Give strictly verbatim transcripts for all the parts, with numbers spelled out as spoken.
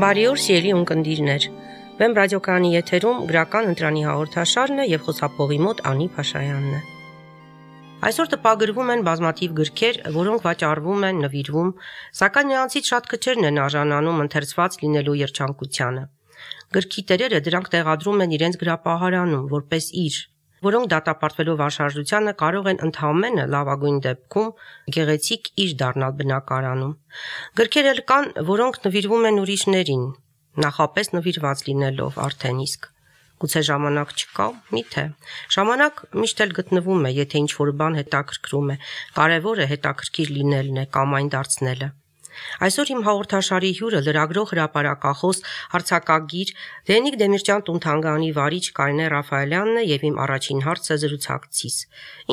Բարի օր, սիրելի ունկնդիրներ։ Վեմ ռադիոկայանի եթերում գրական ընտրանի հաղորդաշարն է եւ խոսափողի մոտ Անի Փաշայանն է։ Այսօր տպագրվում են բազմաթիվ գրքեր, որոնք վաճառվում են, նվիրվում, սակայն նրանցից շատ քչերն են արժանանում ընթերցված լինելու երջանկությանը։ Գրքի տերերը դրանք տեղադրում են իրենց գրապահարանում, որպես իր, որոնք դատապարտվելով անշարժությանը կարող են ընդհանրապես լավագույն դեպքում գեղեցիկ իր դառնալ բնակարանում։ Գրքեր էլ կան, որոնք նվիրվում են ուրիշներին, նախապես նվիրված լինելով արդեն իսկ։ Գուցե ժամանակ չկա, միթե։ Ժամանակ միշտ էլ գտնվում է, եթե ինչ-որ բան հետաքրքրում է, կարևորը հետաքրքիր լինելն է կամ այն դարձնելը։ Այսօր իմ հաղորդաշարի հյուրը լրագրող հրապարակախոս հարցակագիր Դենիկ Դեմիրճյան տուն-թանգարանի վարիչ Կարինե Ռաֆայելյանն է եւ իմ առաջին հարցը զրուցակցիս։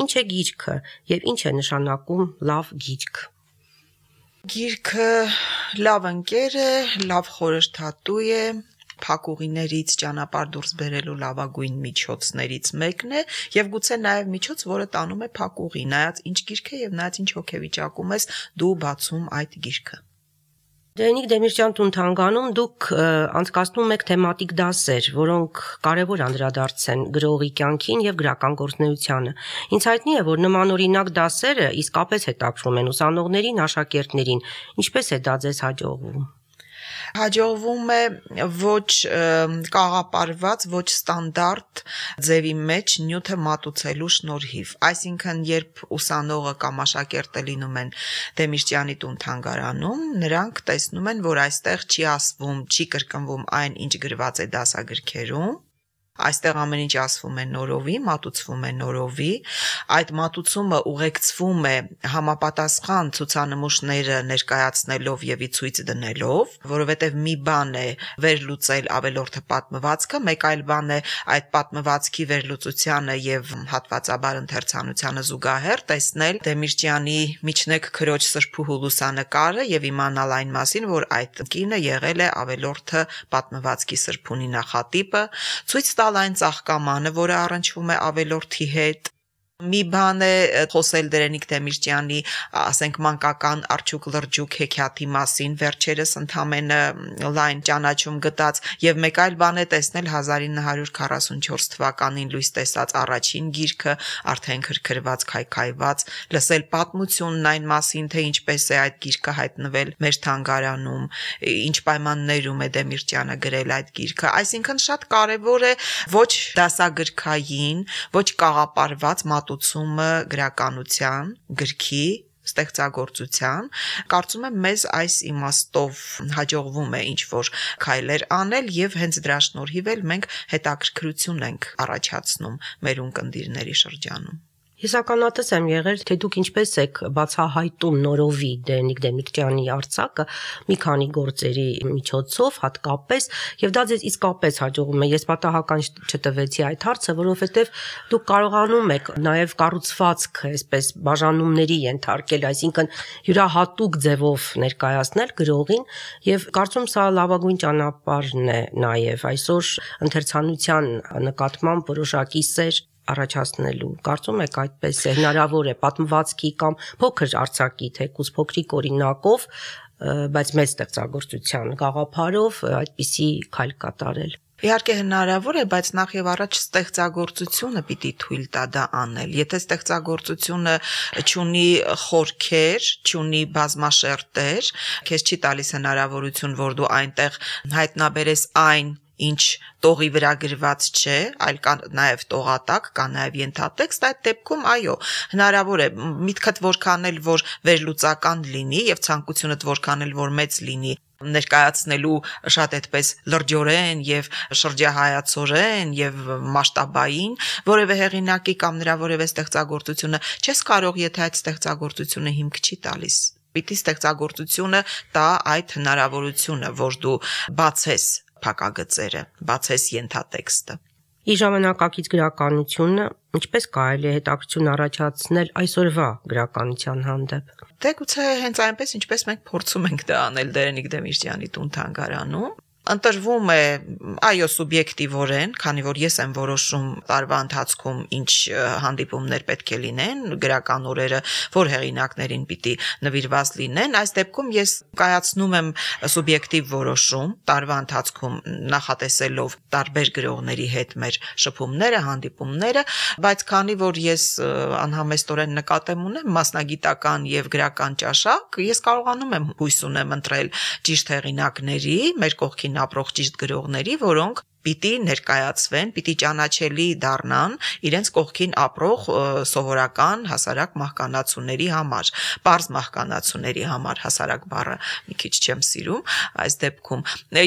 Ինչ է գիրքը եւ ինչ է նշանակում լավ գիրք։ Գիրքը լավ ընկեր է, լավ խորհրդատու է, փակուղիներից ճանապարհ դուրս բերելու լավագույն միջոցներից մեկն է եւ գուցե նաեւ միջոց, որը տանում է փակուղի, նայած ինչ գիրք է եւ նայած ինչ հոգեվիճակում ես դու բացում այդ գիրքը։ Դենիկ Դեմիրճյան տուն-թանգարանում դուք անցկացնում եք թեմատիկ դասեր, որոնք կարևոր անդրադարձ են գրողի կյանքին եւ գրական գործունեությանը։ Ինձ հայտնի է, որ նմանօրինակ դասերը իսկապես հետաքրքրում են ուսանողներին, աշակերտներին։ Ինչպես է դա ձեզ հաջողվում։ Հաջողվում է ոչ կաղապարված, ոչ ստանդարտ ձևի մեջ նյութը մատուցելու շնորհիվ։ Այսինքն, երբ ուսանողը կամ աշակերտը լինում են Դեմիրճյանի տուն-թանգարանում, նրանք տեսնում են, որ այստեղ չի ասվում, չի կրկնվում այն, ինչ գրված է դասագրքերում։ Այստեղ ամեն ինչ ասվում է նորովի, մատուցվում է նորովի, այդ մատուցումը ուղեկցվում է համապատասխան ցուցանմուշները ներկայացնելով եւ ի ցույց դնելով, որովհետեւ մի բան է վերլուծել ավելորդը պատմվածքը, մեկ այլ բան է այդ պատմվածքի վերլուծությանը եւ հատվածաբար ընթերցանությանը զուգահեռ տեսնել Դեմիրճյանի միջնեկ քրոջ սրբուհու լուսանկարը եւ իմանալ այն մասին, որ այդ կինը եղել է ավելորդը պատմվածքի սրբունի նախատիպը, ցույց տալ այն ծաղկամանը, որը առնչվում է ավելորդի հետ։ Մի բան է խոսել Դենիկ Դեմիրճյանի, ասենք մանկական արջուկ լրջուկ հեքիաթի մասին, վերջերս ընդամենը լայն ճանաչում գտած, եւ մեկ այլ բան է տեսնել հազար ինը հարյուր քառասունչորս թվականին լույս տեսած առաջին գիրքը, արդեն քրքրված, քայքայված, լսել պատմությունն այն մասին, թե ինչպես է այդ գիրքը հայտնվել մեր թանգարանում, ինչ պայմաններում է Դեմիրճյանը գրել այդ գիրքը, այսինքն շատ կարեւոր է ոչ դասագրքային, ոչ կաղապարված մատուցումը գրականության, գրքի, ստեղծագործության, կարծում եմ մեզ այս իմաստով հաջողվում է ինչ-որ քայլեր անել եւ հենց դրա շնորհիվ էլ մենք հետաքրքրություն ենք առաջացնում մեր ունկնդիրների շրջանում։ Ես ականատես եմ եղել, թե դուք ինչպես եք բացահայտում նորովի Դենիկ Դեմիրճյանի արձակը մի քանի գործերի միջոցով հատկապես, եւ դա ձեզ իսկապես հաջողում է։ Ես պատահական չտվեցի այդ հարցը, որովհետեւ դուք կարողանում եք նաեւ կառուցվածքը, այսպես բաժանումների ենթարկել, այսինքն յուրահատուկ ձևով ներկայացնել գրողին, եւ կարծում սա լավագույն ճանապարհն է նաեւ այսօր ընթերցանության նկատմամբ որոշակի սեր առաջացնելու։ Կարծում եք այդպես է հնարավոր է պատմվածքի կամ փոքր արձակի թեկուզ փոքրիկ օրինակով, բայց մեծ ստեղծագործության գաղափարով այդպիսի քայլ կատարել։ Իհարկե հնարավոր է, բայց նախ եւ առաջ ստեղծագործությունը պիտի թույլ տա դա անել։ Եթե ստեղծագործությունը չունի խորքեր, չունի բազմաշերտեր, քեզ չի տալիս հնարավորություն, որ դու այնտեղ հայտնաբերես այն, ինչ տողի վրա գրված չէ, այլ կա նաև տողատակ, կա նաև ենթատեքստ, այդ դեպքում այո, հնարավոր է միտքդ որքան էլ որ վերլուծական լինի եւ ցանկությունդ որքան էլ որ մեծ լինի ներկայացնելու շատ այդպես լրջորեն եւ շրջահայացորեն եւ մասշտաբային որևէ հեղինակի կամ նրա որևէ ստեղծագործությունը չես կարող, եթե այդ ստեղծագործությունը հիմք չի տալիս։ Պիտի ստեղծագործությունը տա այդ հնարավորությունը, որ դու բացես փակագծերը, բացես ենթատեքստը։ Իր ժամանակակից գրականությունը ինչպես կարելի է հետաքրքրություն առաջացնել այսօրվա գրականության հանդեպ։ Դե գուցե հենց այնպես, ինչպես մենք փորձում ենք դա անել Դենիկ Դեմիրճյանի տուն-թանգարանում, Ընտրվում է այո սուբյեկտիվորեն, քանի որ ես եմ որոշում տարվա ընթացքում ինչ հանդիպումներ պետք է լինեն, գրական օրերը, որ հեղինակներին պիտի նվիրված լինեն, այս դեպքում ես կայացնում եմ սուբյեկտիվ որոշում տարվա ընթացքում նախատեսելով տարբեր գրողների հետ մեր շփումները, հանդիպումները, բայց քանի որ ես անհամեստորեն նկատեմ ունեմ մասնագիտական եւ գրական ճաշակ, ես կարողանում եմ հույս ունեմ ընտրել ճիշտ հեղինակների, մեր կողքին ապրող ճիշտ գրողների, որոնք պիտի ներկայացվեն, պիտի ճանաչելի դառնան իրենց կողքին ապրող սովորական հասարակ մահկանացուների համար, պարզ մահկանացուների համար, հասարակ բառը մի քիչ չեմ սիրում այս դեպքում։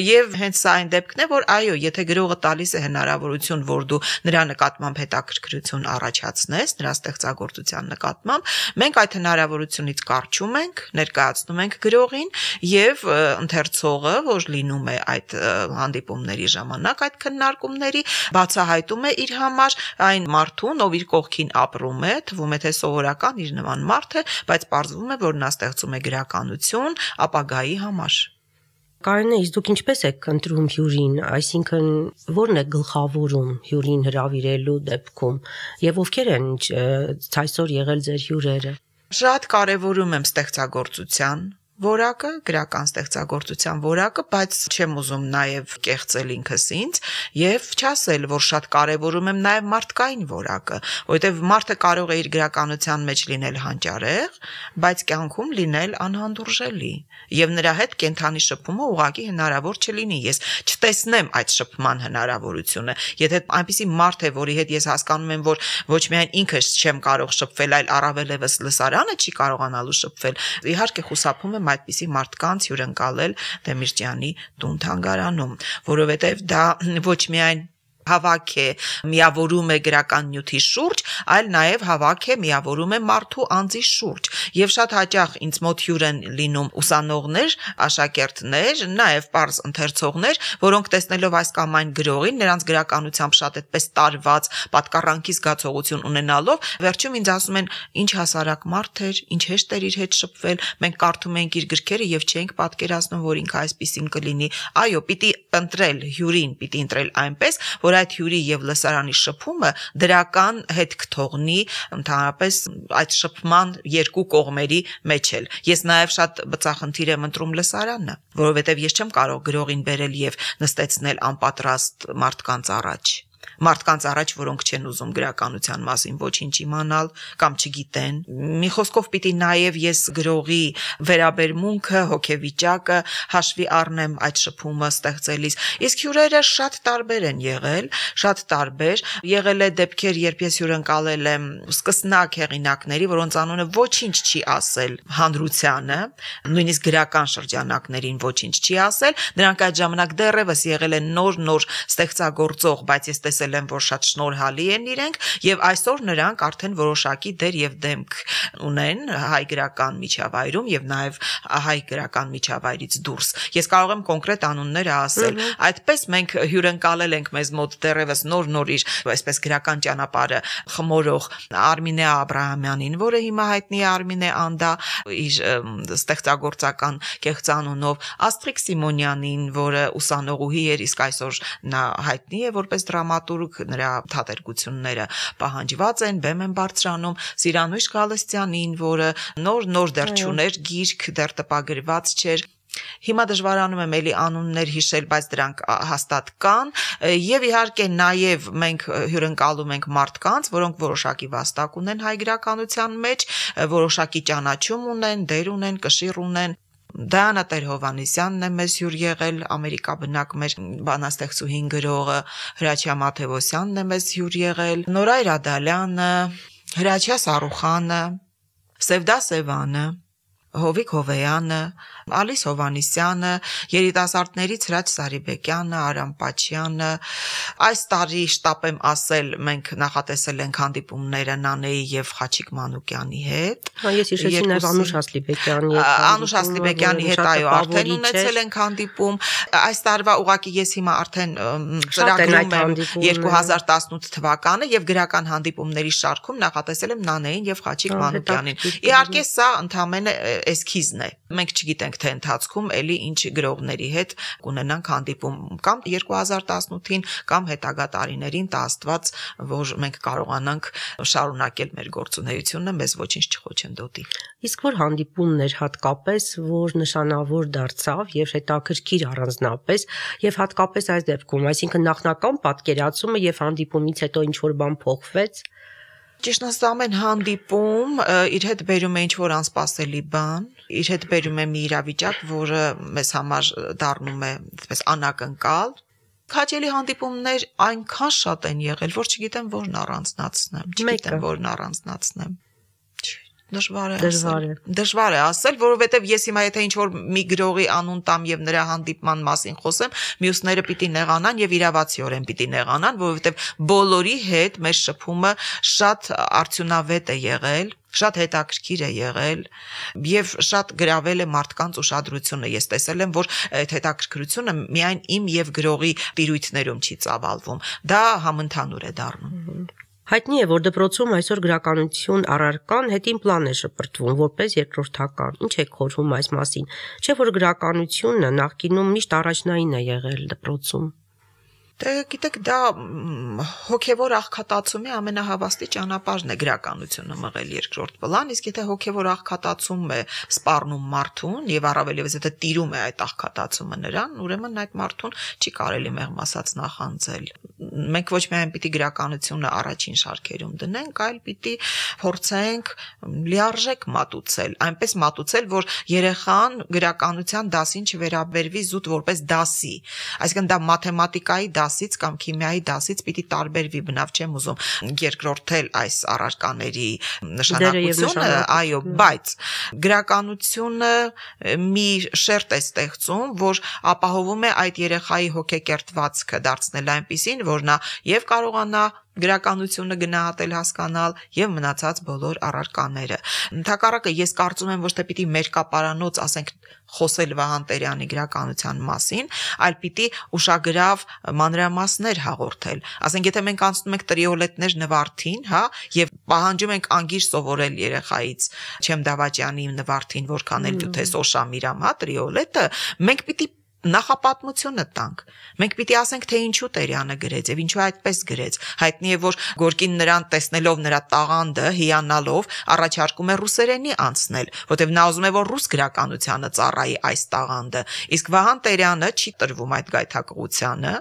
Եվ հենց սա այն դեպքն է, որ այո, եթե գրողը տալիս է հնարավորություն, որ դու նրա նկատմամբ հետաքրքրություն առաջացնես, նրա ստեղծագործության նկատմամբ, մենք այդ հնարավորությունից կարճում ենք, ներկայացնում ենք գրողին եւ ընթերցողը, որ լինում է այդ հանդիպումների ժամանակ այդ քննարկումների բացահայտում է իր համար այն մարդուն, ով իր կողքին ապրում է, թվում է թե սովորական իր նման մարդ է, բայց պարզվում է, որ նա ստեղծում է գրականություն ապագայի համար։ Կարինե, իսկ դուք ինչպես եք ընտրում հյուրին, այսինքն ո՞րն է գլխավորում հյուրին հրավիրելու դեպքում եւ ովքեր են այսօր եղել ձեր հյուրերը։ Շատ կարևորում եմ ստեղծագործության որակը, գրական ստեղծագործության որակը, բայց չեմ ուզում նաև կեղծել ինքս ինձ եւ չասել, որ շատ կարեւորում եմ նաև մարդկային որակը, որովհետեւ մարդը կարող է իր գրականության մեջ լինել հանճարեղ, բայց կյանքում լինել անհանդուրժելի եւ նրա հետ կենթանի շփումը ուղղակի հնարավոր չլինի։ Ես չտեսնեմ այդ շփման հնարավորությունը։ Եթե այնպիսի մարդ է, որի հետ ես հասկանում եմ, որ ոչ միայն ինքս չեմ կարող շփվել, այլ առավելևս լսարանը չի կարողանալու շփվել, իհարկե խուսափում եմ այդպիսի մարդկանց հյուրընկալել Դեմիրճյանի տուն թանգարանում, որովհետև դա ոչ միայն հավաք է, միավորում է գրական նյութի շուրջ, այլ նաև հավաք է, միավորում է մարդու անձի շուրջ։ Եվ շատ հաճախ ինձ մոտ հյուր են լինում ուսանողներ, աշակերտներ, նաև պարզ ընթերցողներ, որոնք տեսնելով այս կամ այն գրողին, նրանց գրականությամբ շատ այդպես տարված, պատկառանքի զգացողություն ունենալով, վերջում ինձ ասում են, ինչ հասարակ մարդ էր, ինչ հեշտ էր իր հետ շփվել, մենք կարդում ենք իր գրքերը եւ չենք պատկերացնում, որ ինքը այսպեսին կլինի։ Այո, պիտի ընտրել հյուրին, պիտի ընտրել այնպես, որ այդ հյուրի եւ լսարանի շփումը դրական հետք թողնի ընդհանրապես այդ շփման երկու կողմերի մեջ էլ։ Ես նաեւ շատ բծախնդիր եմ ընտրում լսարանը, որովհետեւ ես չեմ կարող գրողին բերել եւ նստեցնել անպատրաստ մարդկանց առաջ։ Մարդկանց առաջ, որոնք չեն ուզում գրականության մասին ոչինչ իմանալ կամ չգիտեն։ Մի խոսքով պիտի նաև ես գրողի վերաբերմունքը, հոգեվիճակը հաշվի առնեմ այդ շփումը ստեղծելիս։ Իսկ հյուրերը շատ տարբեր են եղել, շատ տարբեր։ Եղել է դեպքեր, երբ ես հյուրընկալել եմ սկսնակ հեղինակների, որոնց անունը ոչինչ չի ասել հանրությանը, նույնիսկ գրական շրջանակներին ոչինչ չի ասել։ Նրանք այդ ժամանակ դեռևս եղել են նոր-նոր ստեղծագործող, բայց ես տեսել եմ, որ շատ շնորհալի են իրենք եւ այսօր նրանք արդեն որոշակի դեր եւ դեմք ունեն հայ գրական միջավայրում եւ նաեւ հայ գրական միջավայրից դուրս։ Ես կարող եմ կոնկրետ անունները ասել։ Այդպես մենք հյուրընկալել ենք մեզ մոտ դեռևս նոր-նոր իր այսպես գրական ճանապարհը խմորող Արմինե Աբրահամյանին, որը հիմա հայտնի է Արմինե Անդա իր ստեղծագործական կեղծանունով, Աստրիկ Սիմոնյանին, որը ուսանողուհի էր, իսկ այսօր նա հայտնի է որպես դրամատուրգ, նրա թատերգությունները պահանջված են, բեմ են բարձրանում, Սիրանույշ Գալստյանին, որը նոր-նոր դեռ չուներ գիրք, դեռ տպագրված չէր։ Հիմա դժվարանում եմ էլի անուններ հիշել, բայց դրանք հաստատ կան եւ իհարկե նաեւ մենք հյուրընկալում ենք մարդկանց, որոնք որոշակի վաստակ ունեն հայ գրականության մեջ, որոշակի ճանաչում ունեն, դեր ունեն, կշիռ ունեն։ Դիանա Տեր-Հովհաննիսյանն է մեզ հյուր եղել, ամերիկաբնակ մեր բանաստեղծուհին գրողը, Հրաչյա Մաթևոսյանն է մեզ հյուր եղել, Նորայր Ադալյանը, Հրաչյա Սարուխանը, Սևդա Սևանը, Հովիկ Հովեյանը, Ալիս Հովանիսյանը, երիտասարդներից Հրաչ Սարիբեկյանը, Արամ Պաչյանը։ Այս տարի շտապեմ ասել, մենք նախատեսել ենք հանդիպումները Նանեի եւ Խաչիկ Մանուկյանի հետ։ Հա, ես հիշեցի նաեւ Անուշ Ասլիբեկյանի հետ։ Անուշ Ասլիբեկյանի հետ այո, արդեն ունեցել ենք հանդիպում։ Այս տարվա ուղղակի ես հիմա արդեն ծրագրում եմ երկու հազար տասնութ թվականը եւ գրական հանդիպումների շարքում նախատեսել եմ Նանեին եւ Խաչիկ Մանուկյանին։ Իհարկե սա ընդամենը էսքիզն է։ Մենք չգիտենք թե ընթացքում էլի ինչ գրողների հետ կունենանք հանդիպում կամ երկու հազար տասնութին կամ հետագա տարիներին տա Աստված, որ մենք կարողանանք շարունակել մեր գործունեությունը, մեզ ոչինչ չխոչընդոտի։ Իսկ որ հանդիպումներ հատկապես, որ նշանավոր դարձավ եւ հետաքրքիր առանձնապես եւ հատկապես այս դեպքում, այսինքն նախնական պատկերացումը եւ հանդիպումից հետո ինչ որ բան փոխվեց։ Ճիշտն ասած ամեն հանդիպում իր հետ բերում է ինչ-որ անսպասելի բան, իր հետ բերում է մի իրավիճակ, որը մեզ համար դառնում է այսպես անակնկալ։ Քաջելի հանդիպումներ այնքան շատ են եղել, որ չգիտեմ որն առանձնացնեմ, չգիտեմ որն առանձնացնեմ։ Դժվար է ասել։ Դժվար է ասել, որովհետև ես հիմա եթե ինչ-որ մի գրողի անուն տամ եւ նրա հանդիպման մասին խոսեմ, մյուսները պիտի նեղանան եւ իրավացիորեն պիտի նեղանան, որովհետև բոլորի հետ մեր շփումը շատ արդյունավետ է եղել, շատ հետաքրքիր է եղել եւ շատ գրավել է մարդկանց ուշադրությունը։ Ես տեսել եմ, որ այդ հետաքրքրությունը միայն իմ եւ գրողի տիրույթներում չի ծավալվում, դա համընդհանուր է դառնում։ Հայտնի է, որ դպրոցում այսօր գրականություն առարկան հետին պլան է շպրտվում որպես երկրորդական։ Ինչ է խորհում այս մասին։ Չէ՞ որ գրականությունը նախկինում միշտ առաջնային է եղել դպրոցում։ Դե գիտեք, դա հոգևոր աղքատացումի ամենահավաստի ճանապարհն է գրականությունը մղել երկրորդ պլան, իսկ եթե հոգևոր աղքատացում է սպառնում մարդուն եւ առավել եւս եթե տիրում է այդ աղքատացումը նրան, ուրեմն այդ մարդուն չի կարելի մեղմ ասած նախանձել։ Մենք ոչ միայն պիտի գրականությունը առաջին շարքերում դնենք, այլ պիտի փորձենք լիարժեք մատուցել, այնպես մատուցել, որ երեխան գրականության դասին չվերաբերվի զուտ որպես դասի, այսինքն դա մաթեմատիկայի դասից կամ քիմիայի դասից պիտի տարբերվի, բնավ չեմ ուզում երկրորդել այս առարկաների նշանակությունը, այո, բայց գրականությունը մի շերտ է ստեղծում, որ ապահովում է այդ երեխայի հոգեկերտվածքը դարձնել այնպիսին, որ նա եւ կարողանա գրականությունը գնահատել, հասկանալ եւ մնացած բոլոր առարկաները։ Ընդհակառակը ես կարծում եմ ոչ թե պիտի մերկապարանոց, ասենք, խոսել Վահան Տերյանի գրականության մասին, այլ պիտի ուշագրավ մանրամասներ հաղորդել։ Ասենք, եթե մենք անցնում ենք տրիոլետներ նվարդին, հա, եւ պահանջում ենք անգիր սովորել երեխայից Չեմ Դավաճյանի նվարդին, որքան էլ դու թե Սոշամիրամ, հա, տրիոլետը, մենք պիտի նախապատմությունը տանք։ Մենք պիտի ասենք, թե ինչու Տերյանը գրեց եւ ինչու այդպես գրեց։ Հայտնի է, որ Գորկին նրան տեսնելով նրա տաղանդը, հիանալով, առաջարկում է ռուսերենի անցնել, որտեղ նա ուզում է, որ ռուս գրականությանը ծառայի այս տաղանդը։ Իսկ Վահան Տերյանը չի տրվում այդ գայթակղությանը։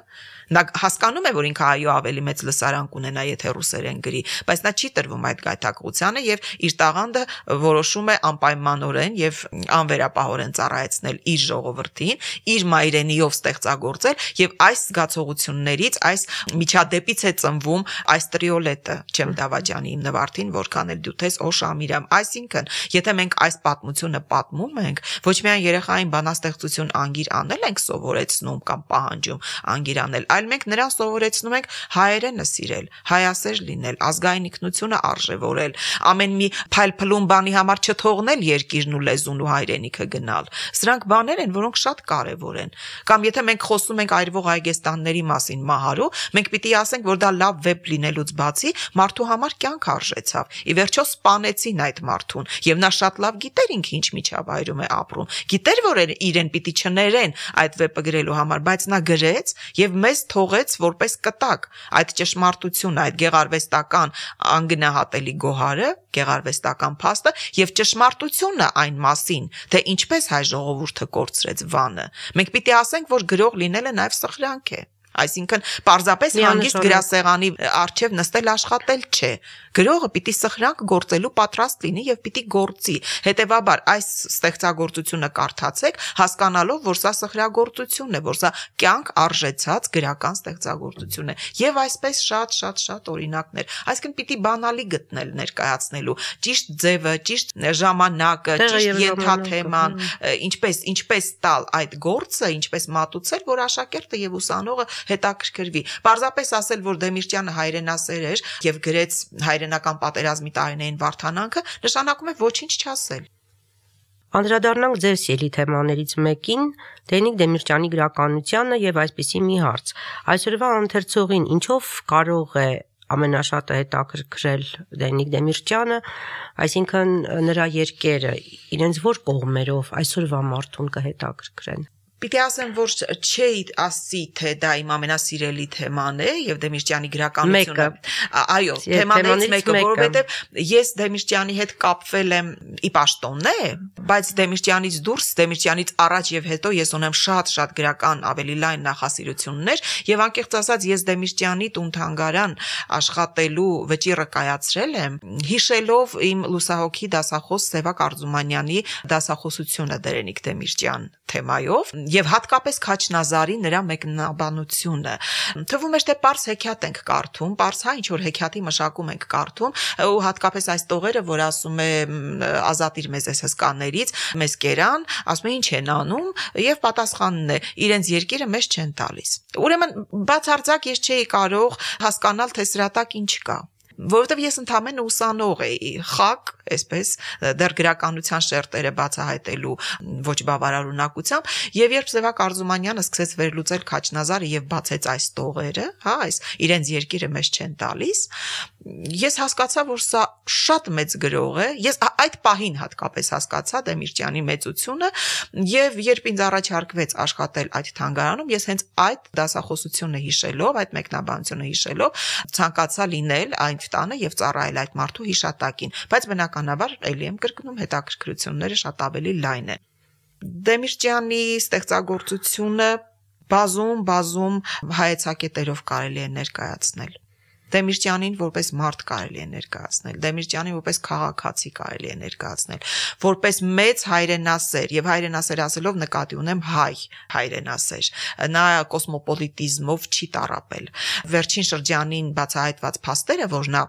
Նա հասկանում է, որ ինքը այո ավելի մեծ լսարան կունենա, եթե ռուսերեն գրի, բայց նա չի տրվում այդ գայթակղությանը եւ իր տաղանդը որոշում է անպայմանորեն եւ անվերապահորեն ծառայեցնել իր ժողովրդին, իր մայրենիով ստեղծագործել եւ այս զգացողություններից, այս միջադեպից է ծնվում այս տրիոլետը Չեմ Դավաճյանի իմ նվարդին, որքան էլ դու թես Օշամիրամ։ Այսինքն, եթե մենք այս պատմությունը պատմում ենք, ոչ միայն երեխային բանաստեղծություն անգիր անել ենք սովորեցնում կամ պահանջում անգիր անել, այլ մենք նրան սովորեցնում ենք հայերենը սիրել, հայասեր լինել, ազգային ինքնությունը արժևորել, ամեն մի փայլփլուն բանի համար չթողնել երկիրն ու լեզուն ու հայրենիքը գնալ։ Սրանք բաներ են, որոնք շատ կարևոր են։ Կամ եթե մենք խոսում ենք այրվող այգեստանների մասին Մահարու, մենք պիտի ասենք, որ դա լավ վեբ լինելուց բացի մարդու համար կյանք արժեցավ։ Ի վերջո սպանեցին այդ մարդուն, եւ նա շատ լավ գիտեր ինքը ինչ միջավայրում է ապրում։ Գիտեր, որ իրեն պիտի չներեն այդ վեպը գրելու համար, բայց նա գրեց եւ մեզ թողեց որպես կտակ այդ ճշմարտությունը, այդ գեղարվեստական անգնահատելի գոհարը, գեղարվեստական փաստը եւ ճշմարտությունը այն մասին, թե ինչպես հայ ժողովուրդը կորցրեց Վանը։ Մենք պիտի ասենք, որ գրող լինելը նաեւ սխրանք է։ Այսինքն պարզապես հանգիստ գրասեղանի առջև նստել աշխատել չէ։ Գրողը պիտի սխրանք գործելու պատրաստ լինի եւ պիտի գործի։ Հետեւաբար այս ստեղծագործությունը կարդացեք, հասկանալով, որ սա սխրագործություն է, որ սա կյանք արժեցած գրական ստեղծագործություն է։ Եվ այսպես շատ-շատ-շատ օրինակներ։ Այսինքն պիտի բանալի գտնել ներկայացնելու ճիշտ ձևը, ճիշտ ժամանակը, ճիշտ ենթաթեման, ինչպես ինչպես տալ այդ գործը, ինչպես մատուցել, որ աշակերտը եւ ուսանողը հետաքրքրվի։ Պարզապես ասել, որ Դեմիրճյանը հայրենասեր էր եւ գրեց հայրենական պատերազմի տարիներին Վարդանանքը, նշանակում է ոչինչ չասել։ Անդրադառնանք ձեր սիրելի թեմաներից մեկին, Դենիկ Դեմիրճյանի գրականությանը եւ այսպիսի մի հարց։ Այսօրվա ընթերցողին ինչով կարող է ամենաշատը հետաքրքրել Դենիկ Դեմիրճյանը, այսինքն նրա երկերը իրենց որ կողմերով այսօրվա մարդուն կհետաքրքրեն։ Պիտի ասեմ, որ չէի ասի, թե դա իմ ամենասիրելի թեման է եւ Դեմիրճյանի գրականությունը։ Այո, թեմաներից մեկը, որովհետեւ ես Դեմիրճյանի հետ կապվել եմ ի պաշտոնն է, բայց Դեմիրճյանից դուրս, Դեմիրճյանից առաջ եւ հետո ես ունեմ շատ-շատ գրական ավելի լայն նախասիրություններ եւ անկեղծ ասած ես Դեմիրճյանի տուն-թանգարան աշխատելու վճիռը կայացրել եմ, հիշելով իմ լուսահոգի դասախոս Սևակ Արզումանյանի դասախոսությունը Դերենիկ Դեմիրճյան թեմայով եւ հատկապես Քաչնազարի նրա մեկնաբանությունը։ Թվում է թե պարզ հեքիաթ ենք կարդում, պարզ հա ինչ որ հեքիաթի մշակում ենք կարդում, ու հատկապես այս տողերը, որ ասում է ազատիր մեզ այս հսկաներից, մեզ կերան, ասում է ինչ են անում եւ պատասխանն է իրենց երկիրը մեզ չեն տալիս։ Ուրեմն բացարձակ ես չէի կարող հասկանալ, թե սրա տակ ինչ կա, որովհետև ես ընդամենը ուսանող էի, խակ, այսպես, դեռ գրականության շերտերը բացահայտելու ոչ բավարար ունակությամբ, եւ երբ Սևակ Արզումանյանը սկսեց վերլուծել Քաչնազարը եւ բացեց այս տողերը, հա, այս իրենց երկիրը մեզ չեն տալիս, ես հասկացա, որ սա շատ մեծ գրող է, ես այդ պահին հատկապես հասկացա Դեմիրճյանի մեծությունը, եւ երբ ինձ առաջարկվեց աշխատել այդ թանգարանում, ես հենց այդ դասախոսությունը հիշելով, այդ մեկնաբանությունը հիշելով, ցանկացա լինել այն տանը եւ ծառայել այդ մարդու հիշատակին, բայց բնականաբար ելի եմ կրկնում հետաքրքրությունները շատ ավելի լայն են։ Դեմիրճյանի ստեղծագործությունը բազում բազում հայեցակետերով կարելի է ներկայացնել։ Դեմիրճյանին որպես մարդ կարելի է ներկայացնել, Դեմիրճյանին որպես քաղաքացի կարելի է ներկայացնել, որպես մեծ հայրենասեր, եւ հայրենասեր ասելով նկատի ունեմ հայ հայրենասեր։ Նա կոսմոպոլիտիզմով չի տառապել։ Վերջին շրջանին բացահայտված փաստերը, որ նա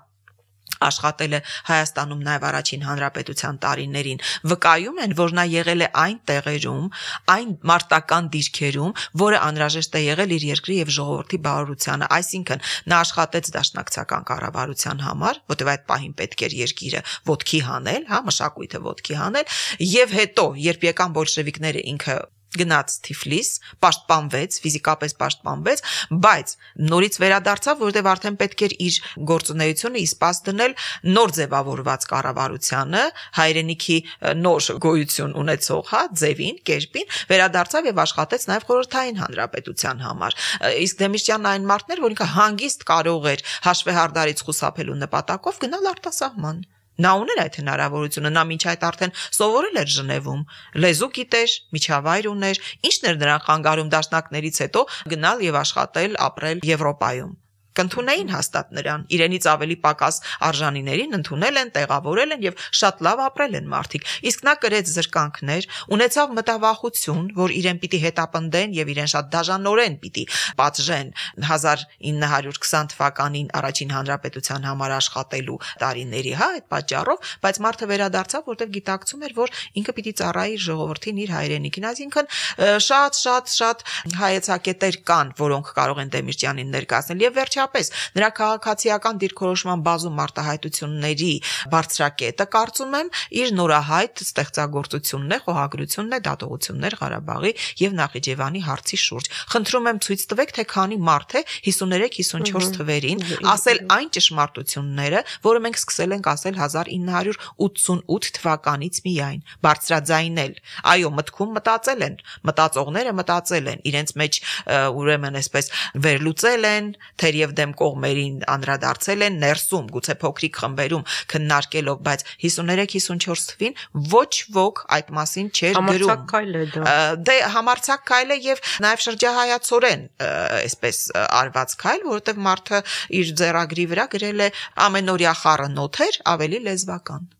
աշխատել է Հայաստանում նաև առաջին հանրապետության տարիներին, վկայում են, որ նա եղել է այն տեղերում, այն մարտական դիրքերում, որը անհրաժեշտ է եղել իր երկրի եւ ժողովրդի բարօրությանը, այսինքն նա աշխատեց դաշնակցական կառավարության համար, որտեղ այդ պահին պետք էր երկիրը ոտքի հանել, հա, մշակույթը ոտքի հանել, եւ հետո, երբ եկան բոլշևիկները, ինքը գնաց Թիֆլիս, պաշտպանվեց, ֆիզիկապես պաշտպանվեց, բայց նորից վերադարձավ, որտեղ արդեն պետք էր իր գործունեությունը իսպաս դնել նոր ձևավորված կառավարությանը, հայրենիքի նոր գոյություն ունեցող, հա, ձևին, կերպին, վերադարձավ եւ աշխատեց նաեւ խորհրդային հանրապետության համար։ Իսկ Դեմիրճյանն այն մարդն էր, որ ինքը հանգիստ կարող էր հաշվեհարդարից խուսափելու նպատակով գնալ արտասահման։ Նա ուներ այդ հնարավորությունը, նա մինչ այդ արդեն սովորել էր Ժնևում, լեզու գիտեր, միջավայր ուներ, ինչն էր նրան խանգարում դաշնակներից հետո գնալ եւ աշխատել, ապրել Եվրոպայում։ Կընդունեին հաստատ նրան, իրենից ավելի պակաս արժանիներին ընդունել են, տեղավորել են եւ շատ լավ ապրել են մարդիկ։ Իսկ նա կրեց զրկանքներ, ունեցավ մտավախություն, որ իրեն պիտի հետապնդեն եւ իրեն շատ դաժանորեն պիտի պատժեն հազար ինը հարյուր քսան թվականին առաջին հանրապետության համար աշխատելու տարիների, հա, այդ պատճառով, բայց մարդը վերադարձավ, որտեղ գիտակցում էր, որ ինքը պիտի ծառայի ժողովրդին, իր հայրենիքին, այսինքն շատ շատ շատ հայեցակետեր կան, որոնք կարող են Դեմիրճյանին ներկայացնել եւ վերջ Պես նրա քաղաքացիական դիրքորոշման բազում մարտահայտությունների բարձրակետը կարծում եմ իր նորահայտ ստեղծագործությունն է, խոհագրությունն է, դատողություններ Ղարաբաղի եւ Նախիջևանի հարցի շուրջ։ Խնդրում եմ ցույց տվեք, թե քանի մարդ է հիսուներեք հիսունչորս թվերին ասել այն ճշմարտությունները, որը մենք սկսել ենք ասել հազար ինը հարյուր ութսունութ թվականից միայն, բարձրաձայնել։ Այո, մտքում մտածել են, մտածողները մտածել են, իրենց մեջ ուրեմն այսպես վերլուծել են, թերև դեմ կողմերին անդրադարձել են ներսում, գուցե փոքրիկ խմբերում քննարկելով, բայց հիսուներեք հիսունչորս թվին ոչ ոք այդ մասին չէր գրում։ Համարձակ քայլ է դա։ Դե համարձակ քայլ է եւ նաեւ շրջահայացորեն այսպես արված քայլ, որովհետեւ մարդը իր ձեռագրի վրա գրել է ամենօրյա խառնոթեր, ավելի լեզվական։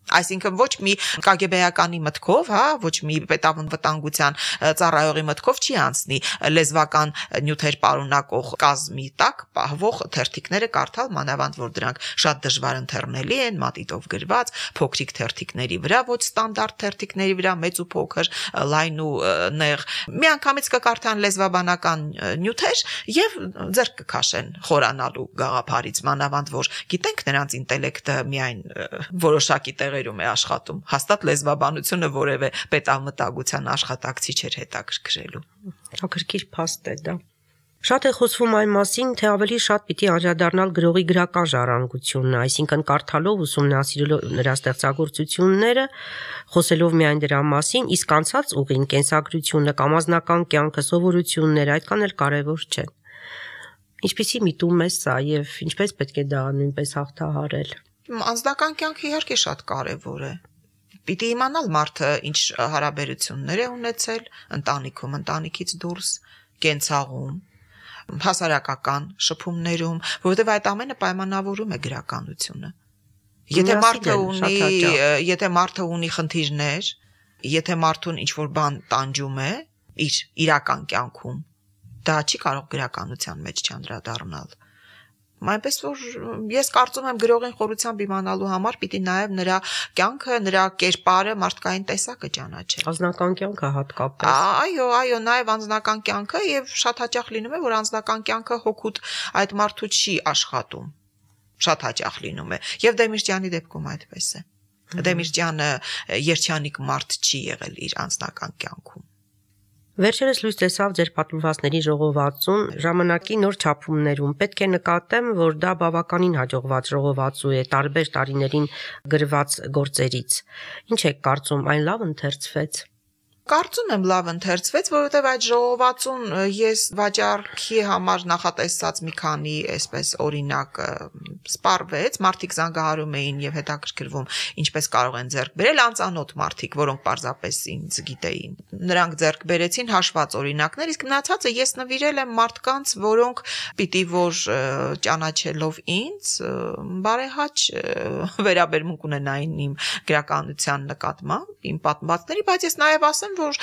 Այսինքն ոչ մի կագեբեյականի մտքով, հա, ոչ մի պետավնվտանգության ծառայողի մտքով չի անցնի լեզվական նյութեր պարունակող կազմի տակ պահվող թերթիկները կարդալ, մանավանդ որ դրանք շատ դժվար ընթեռնելի են, մատիտով գրված, փոքրիկ թերթիկների վրա, ոչ ստանդարտ թերթիկների վրա, մեծ ու փոքր, լայն ու նեղ։ Միանգամից կկարդան լեզվաբանական նյութեր եւ ձեռք կքաշեն խորանալու գաղափարից, մանավանդ որ գիտենք նրանց ինտելեկտը միայն որոշակի տեղերում է աշխատում, հաստատ լեզվաբանությունը որևէ պետամտագության աշխատակցի չէր հետաքրքրելու։ Հետաքրքիր փաստ է դա։ Շատ է խոսվում այն մասին, թե ավելի շատ պիտի անդրադառնալ գրողի գրական ժառանգությունն, այսինքն կարդալով, ուսումնասիրելով նրա ստեղծագործությունները, խոսելով միայն դրա մասին, իսկ անցած ուղին, կենսագրությունը կամ անձնական կյանքը, սովորությունները այդքան էլ կարևոր չեն։ Ինչպիսի միտում է սա եւ ինչպես պետք է դա նույնպես հաղթահարել։ Անձնական կյանքը իհարկե շատ կարևոր է։ Պիտի իմանալ մարդը ինչ հարաբերություններ է ունեցել ընտանիքում, ընտանիքից դուրս, կենցաղում, հասարակական շփումներում, որովհետև այդ ամենը պայմանավորում է գրականությունը։ Եթե մարդը ունի, եթե մարդը ունի խնդիրներ, եթե մարդուն ինչ-որ բան տանջում է իր իրական կյանքում, դա չի կարող գրականության մեջ չանդրադառնալ։ Այնպես որ ես կարծում եմ գրողին խորությամբ իմանալու համար պիտի նաև նրա կյանքը, նրա կերպարը, մարդկային տեսակը ճանաչել։ Անձնական կյանքը հատկապես։ Այո, այո, նաև անձնական կյանքը եւ շատ հաճախ լինում է, որ անձնական կյանքը հոգուտ այդ մարդու չի աշխատում։ Շատ հաճախ լինում է։ Եվ Դեմիրճյանի դեպքում այդպես է։ Դեմիրճյանը երջանիկ մարդ չի եղել իր անձնական կյանքում։ Վերջերս լույս տեսավ ձեր պատմվածքների ժողովածուն ժամանակի նոր չափումներում։ Պետք է նկատեմ, որ դա բավականին հաջողված ժողովածու է տարբեր տարիներին գրված գործերից։ Ինչ եք կարծում, այն լավ ընթերցվեց։ Կարծում եմ լավ ընթերցվեց, որովհետև այդ ժողովածուն ես վաճառքի համար նախատեսած մի քանի այսպես օրինակ սպառվեց, մարդիկ զանգահարում էին եւ հետաքրքրվում, ինչպես կարող են ձեռք բերել անծանոթ մարդիկ, որոնք պարզապես ինձ գիտեին։ Նրանք ձեռք բերեցին հաշված օրինակներ, իսկ մնացածը ես նվիրել եմ մարդկանց, որոնք պիտի որ ճանաչելով ինձ բարեհաճ վերաբերմունք ունենային իմ գրականության նկատմամբ, իմ պատմվածքների, բայց ես նաեւ ասեմ, որ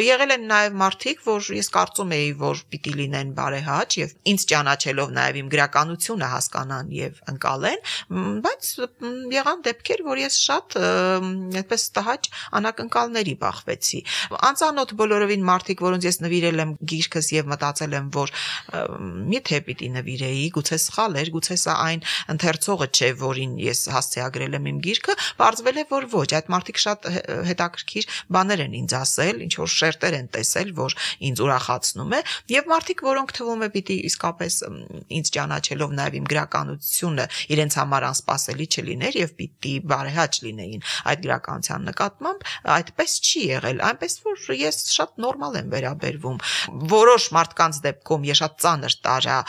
եղել են նաև մարդիկ, որ ես կարծում էի, որ պիտի լինեն բարեհաճ եւ ինձ ճանաչելով նաև իմ գրականությունը հասկանան եւ ընկալեն, բայց եղան դեպքեր, որ ես շատ այդպես տհաճ անակնկալների բախվեցի։ Անծանոթ բոլորովին մարդիկ, որոնց ես նվիրել եմ գիրքս եւ մտածել եմ, որ միթե պիտի նվիրեի, գուցե սխալ էր, գուցե սա այն ընթերցողը չէ, որին ես հասցեագրել եմ իմ գիրքը, բարձվել է, որ ոչ, այդ մարդիկ շատ հետաքրքիր բաներ են ինձ ասել, ինչ որ շերտեր են տեսել, որ ինձ ուրախացնում է, եւ մարդիկ, որոնք թվում է պիտի իսկապես ինձ ճանաչելով նաեւ իմ գրականությունը իրենց համար անսպասելի չլիներ եւ պիտի բարեհաճ լինեին այդ գրականության նկատմամբ, այդպես չի եղել, այնպես որ ես շատ նորմալ եմ վերաբերվում։ Որոշ մարդկանց դեպքում ես շատ ծանր տարա,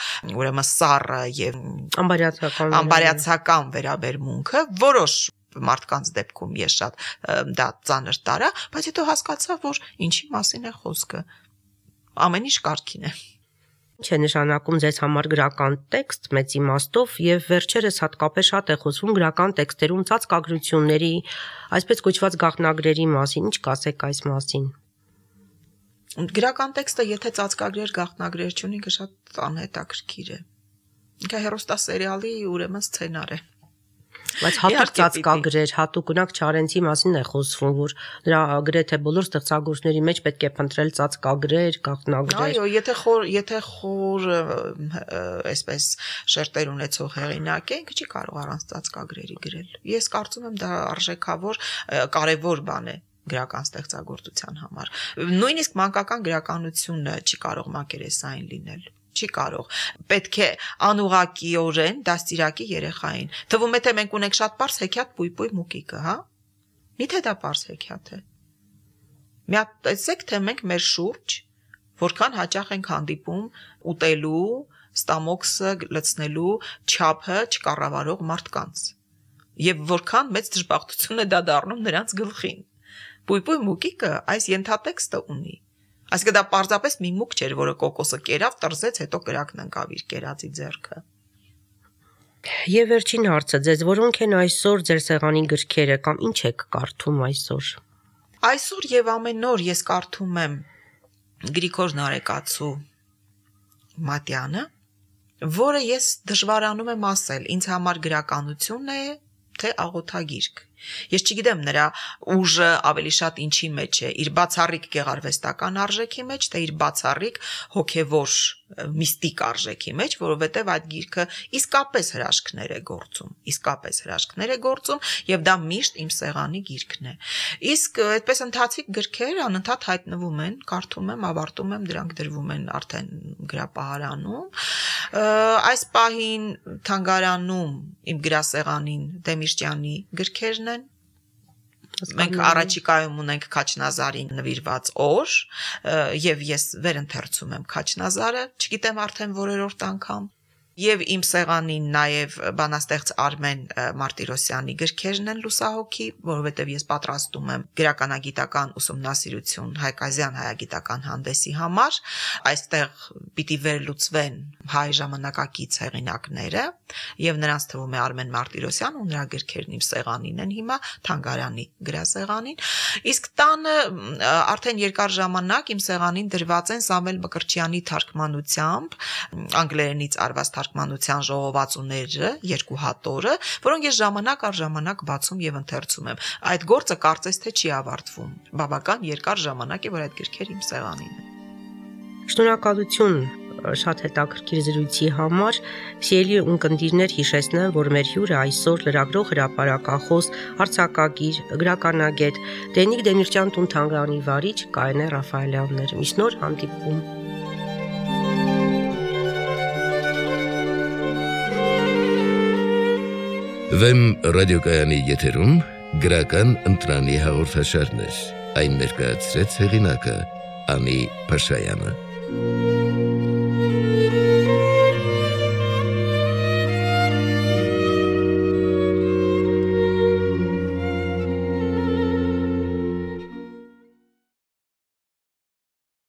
ուրեմն սառը եւ ամբարյացական ամբարյացական վերաբերմունքը, որոշ մարդկանց դեպքում ես շատ դա ծանր տարա, բայց հետո հասկացա, որ ինչի մասին է խոսքը։ Ամեն ինչ կարգին է։ Ինչ է նշանակում ձեզ համար գրական տեքստ մեծ իմաստով եւ վերջերս հատկապես շատ է խոսվում գրական տեքստերում ծածկագրությունների, այսպես կոչված գաղտնագրերի մասին, ինչ կասեք այս մասին։ Գրական տեքստը եթե ծածկագրեր, գաղտնագրեր չունի, շատ անհետաքրքիր է։ Ինքը հեռուստասերիալի ուրեմն սցենար է։ Բայց հատուկ ծածկագրեր, հատուկ ունակ Չարենցի մասին է խոսվում, որ նրա գրեթե բոլոր ստեղծագործների մեջ պետք է փնտրել ծածկագրեր, գաղտնագրեր։ Այո, եթե խոր, եթե խոր այսպես շերտեր ունեցող հեղինակ է, ինքը չի կարող առանց ծածկագրերի գրել։ Ես կարծում եմ դա արժեքավոր, կարևոր բան է գրական ստեղծագործության համար։ Նույնիսկ մանկական գրականությունը չի կարող մակերեսային լինել։ Չի կարող։ Պետք է անուղակիորեն դաստիարակի երեխային։ Թվում է թե մենք ունենք շատ པարզ հեքիաթ պույպույ մուկիկը, հա։ Միթե դա པարզ հեքիաթ է։ Մի հատ տեսեք թե մենք մեր շուրջ որքան հաճախ ենք հանդիպում ուտելու, ստամոքսը լցնելու չափը չկառավարող մարդկանց։ Եվ որքան մեծ դժբախտություն է դա դառնում նրանց գլխին։ Պույպույ մուկիկը այս ենթատեքստը ունի։ Այսինքն դա պարզապես մի մուկ չէր, որը կոկոսը կերավ, տրզեց, հետո կրակն ընկավ իր կերածի ձեռքը։ Եվ վերջին հարցը, ձեզ որոնք են այսօր ձեր սեղանի գրքերը կամ ինչ եք կարդում այսօր։ Այսօր եւ ամեն օր ես կարդում եմ Գրիգոր Նարեկացու Մատյանը, որը ես դժվարանում եմ ասել, ինձ համար գրականություն է, թե աղոթագիրք։ Ես չգիտեմ նրա ուժը ավելի շատ ինչի մեջ է, իր բացառիկ գեղարվեստական արժեքի մեջ, թե իր բացառիկ հոգևոր միստիկ արժեքի մեջ, որովհետև այդ գիրքը իսկապես հրաշքներ է գործում, իսկապես հրաշքներ է գործում եւ դա միշտ իմ սեղանի գիրքն է։ Իսկ այդպես ընթացիկ գրքեր անընդհատ հայտնվում են, կարդում եմ, ավարտում եմ, դրանք դրվում են արդեն գրապահարանում։ Այս պահին թանգարանում իմ գրասեղանին Դեմիրճյանի գրքերն են։ Մենք առաջիկայում ունենք Քաչնազարին նվիրված օր եւ ես վերընթերցում եմ Քաչնազարը, չգիտեմ արդեն որերորդ անգամ։ Եվ իմ սեղանին նաև բանաստեղծ Արմեն Մարտիրոսյանի գրքերն են լուսահոգի, որովհետև ես պատրաստում եմ գրականագիտական ուսումնասիրություն Հայկազյան հայագիտական հանդեսի համար, այստեղ պիտի վերլուծվեն հայ ժամանակակից հեղինակները, եւ նրանց թվում է Արմեն Մարտիրոսյան ու նրա գրքերն իմ սեղանին են հիմա թանգարանի գրասեղանին, իսկ տանը արդեն երկար ժամանակ իմ սեղանին դրված են Սամվել Մկրտչյանի թարգմանությամբ անգլերենից արված թարգմանության ժողովածուները, երկու հատորը, որոնք ես ժամանակ առ ժամանակ բացում եւ ընթերցում եմ։ Այդ գործը կարծես թե չի ավարտվում։ Բավական երկար ժամանակ է, որ այդ գրքերը իմ սեղանին են։ Շնորհակալություն շատ հետաքրքիր զրույցի համար։ Սիրելի ունկնդիրներ, հիշեցնեմ, որ մեր հյուրը այսօր լրագրող, հրապարակախոս, արձակագիր, գրականագետ Դենիկ Դեմիրճյան տուն թանգարանի վարիչ Կարինե Ռաֆայելյանն էր։ Միշտ նոր հանդիպում։ Վեմ ռադիոկայանի եթերում գրական ընտրանի հաղորդաշարներ։ Այն ներկայացրեց հեղինակը Անի Փաշայանը։